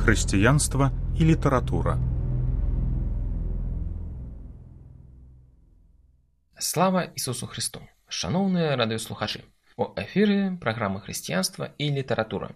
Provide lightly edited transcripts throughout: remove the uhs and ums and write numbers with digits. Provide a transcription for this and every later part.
Хрысціянства і літаратура. Слава Ісусу Христу! Шановныя радыёслухачы! У эфіры праграма «Хрысціянства і літаратура».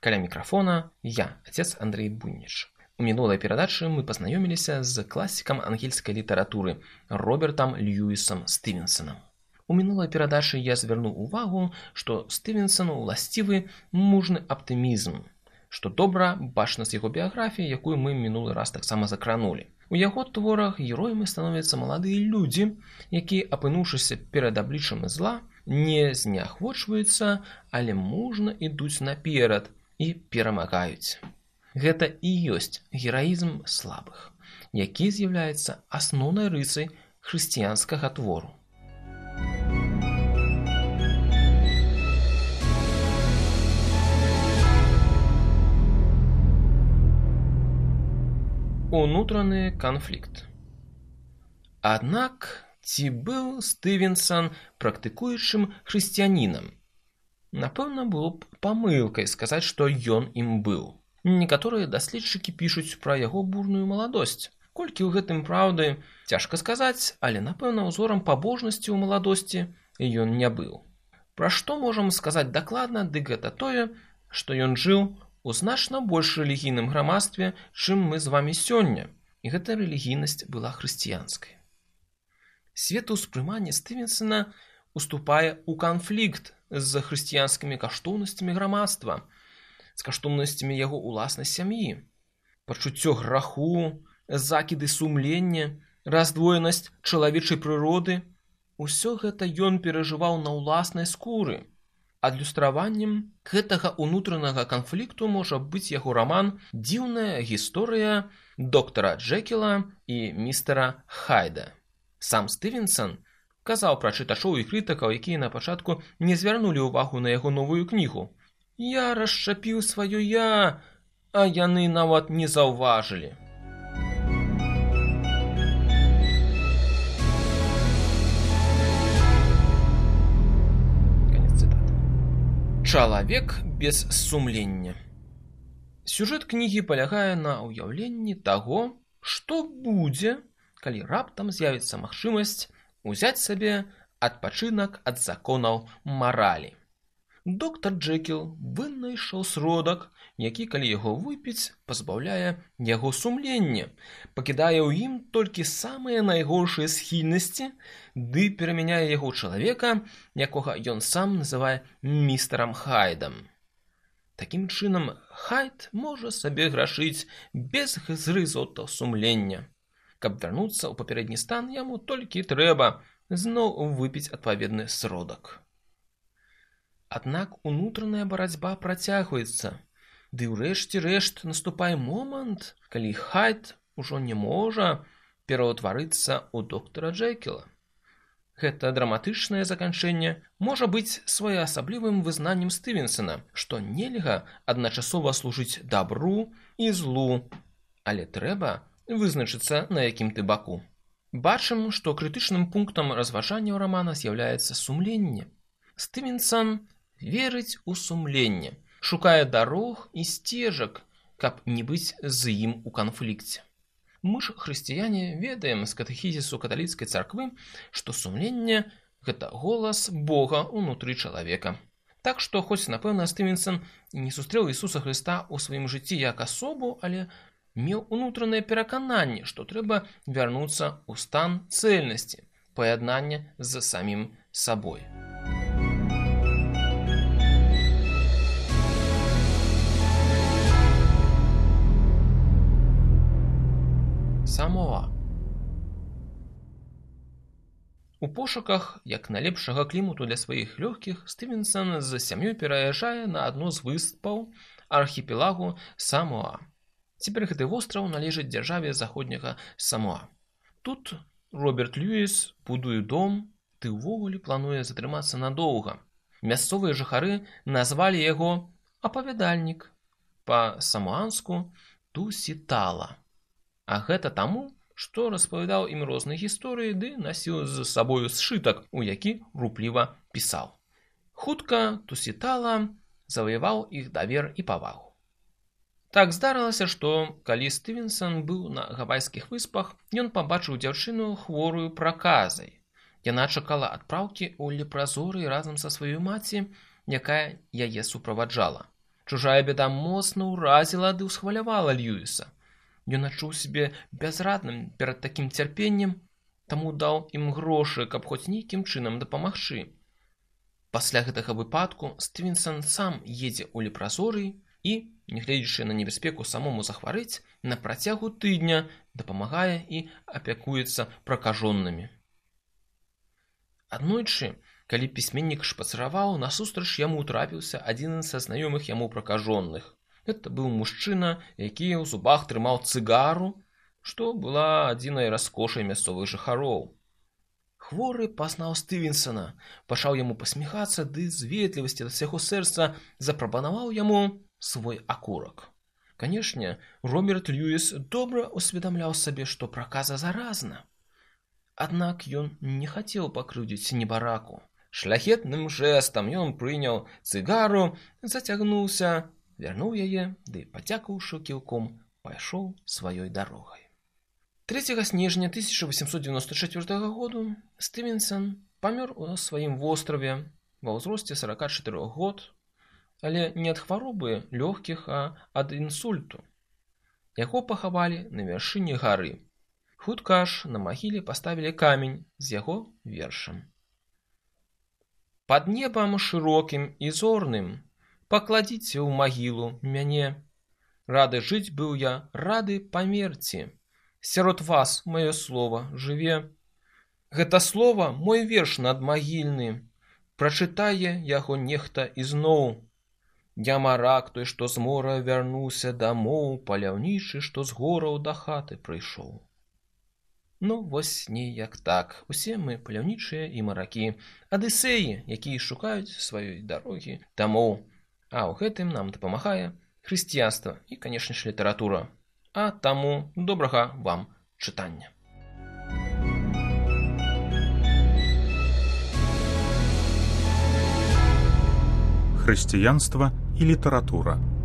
Каля мікрафона я, отец Андрей Буйніч. У мінулай перадачы мы пазнаёміліся з класікам ангельскай літаратуры Робертам Льюісам Стывенсонам. У мінулай перадачы я звярнуў увагу, што Стывенсону ўласцівы мужны аптымізм, што добра бачна з яго біяграфіі, якую мы мінулы раз таксама закранулі. У яго творах героямі становяцца маладыя людзі, якія, апынуўшыся перад абліччам зла, не зняхвочваюцца, але мужна ідуць наперад і перамагаюць. Гэта і ёсць гераізм слабых, які з'яўляецца асноўнай рысай хрысціянскага твору. Унутраны канфлікт. Аднак, ці быў Стывенсон практыкуючым хрысціянінам? Напэўна, было б памылкай сказаць, што ён ім быў. Некаторыя даследчыкі пішуць пра яго бурную маладосць. Колькі ў гэтым праўды, цяжка сказаць, але, напэўна, узорам пабожнасці ў маладосці ён не быў. Пра што можам сказаць дакладна, дык гэта тое, што ён жыў у значна больш рэлігійным грамадстве, чым мы з вамі сёння, і гэта рэлігійнасць была хрысціянскай. Светаўспрыманне Стывенсона уступае ў канфлікт з хрысціянскімі каштоўнасцямі грамадства, з каштоўнасцямі яго ўласнай сям'і. Пачуццё граху, закіды сумлення, раздвоенасць чалавечай прыроды – усё гэта ён перажываў на ўласнай скуры. Адлюстраваннем гэтага ўнутранага канфлікту можа быць яго раман «Дзіўная гісторыя доктара Джекіла і містера Хайда». Сам Стывенсон казаў пра чытачоў і крытыкаў, якія на пачатку не звярнулі ўвагу на яго новую кнігу. «Я расшчапіў сваё я, а яны нават не заўважылі». Чалавек без сумлення. Сюжэт кнігі палягае на ўяўленні таго, што будзе, калі раптам з'явіцца магчымасць узяць сабе адпачынак ад законаў маралі. Доктар Джекіл вынайшаў сродак, які, калі яго выпіць, пазбаўляе яго сумлення, пакідае ў ім толькі самыя найгоршыя схільнасці, ды перамяняе яго чалавека, якога ён сам называе містерам Хайдам. Такім чынам, Хайд можа сабе грашыць без зрызотаў сумлення. Каб вярнуцца ў папярэдні стан, яму толькі трэба зноў выпіць адпаведны сродак. Аднак унутраная барацьба працягваецца, ды ўрэшце рэшт наступае момант, калі Хайд ужо не можа пераўтварыцца ў доктара Джекіла. Гэта драматычнае заканчэнне можа быць своеасаблівым вызнаннем Стывенсона, што нельга адначасова служыць дабру і злу, але трэба вызначыцца, на якім ты баку. Бачым, што крытычным пунктам разважанняў рамана з'яўляецца сумленне. Стывенсон верыць у сумленне, шукае дарог і сцежак, каб не быць з ім у канфлікце. Мы ж, хрысціяне, ведаем з катэхізісу каталіцкай царквы, што сумленне – гэта голас Бога ўнутры чалавека. Так што, хоць, напэўна, Стывенсон не сустрэў Ісуса Хрыста ў сваім жыцці як асобу, але меў унутранае перакананне, што трэба вярнуцца ў стан цэльнасці, паяднання з самім сабой. Самоа. У пошуках як найлепшага клімату для сваіх лёгкіх Стывенсон з сям'ёй пераязджае на адну з выспаў архіпелагу Самоа. Цяпер гэты востраў належыць дзяржаве заходняга Самоа. Тут Роберт Льюіс будуе дом, ды ўвогуле плануе затрымацца надоўга. Мясцовыя жыхары назвалі яго апавядальнік, па-самоанску Тусітала. А гэта таму, што распавядаў ім розныя гісторыі ды насіў з сабою сшытак, у які рупліва пісаў. Хутка Тусітала заваяваў іх давер і павагу. Так здарылася, што калі Стывенсон быў на Гавайскіх выспах, ён пабачыў дзяўчыну хворую праказай. Яна чакала адпраўкі ў лепразорый разам са сваёй маці, якая яе суправаджала. Чужая бяда моцна ўразіла ды ўсхвалявала Льюіса. Ён адчуў сябе бязрадным перад такім цярпеннем, таму даў ім грошы, каб хоць нейкім чынам дапамагчы. Пасля гэтага выпадку Стывенсон сам едзе ў лепразорый і, нягледзячы на небяспеку самому захварэць, на працягу тыдня дапамагае і апякуецца пракажонымі. Аднойчы, калі пісьменнік шпацыраваў, насустрач яму трапіўся адзін са знаёмых яму пракажоных. Гэта быў мужчына, які ў зубах трымаў цыгару, што была адзінай раскошай мясцовых жыхароў. Хворы пазнаў Стывенсона, пачаў яму пасміхацца, ды з ветлівасці да свайго сэрца запрапанаваў яму свой акурак. Канешне, Роберт Льюіс добра усведамляў сабе, што праказа заразна. Аднак ён не хацеў пакрыўдзіць небараку. Шляхетным жэстам ён прыняў цыгару, зацягнуўся, вярнуў яе, ды, падзякаўшы кіўком, пайшоў сваёй дарогай. 3 снежня 1894 году Стывенсон памёр у сваім востраве ва ўзросце 44 год, але не ад хваробы лёгкіх, а ад інсульту. Яго пахавалі на вяршыні гары. Хутка ж на магіле паставілі камень з яго вершам. «Пад небам шырокім і зорным пакладзіце ў магілу мяне. Рады жыць быў я, рады памерці. Сярод вас маё слова жыве. Гэта слова мой верш надмагільны. Прачытае яго нехта ізноў. Я марак той, што з мора вярнуўся дамоў, паляўнічы, што з гораў да хаты прыйшоў». Ну, вось неяк так. Усе мы паляўнічыя і маракі, адысеі, якія шукаюць сваёй дарогі дамоў. А ў гэтым нам дапамагае хрысціянства і, канешне ж, літаратура. А таму добрага вам чытання. Хрысціянства і літаратура.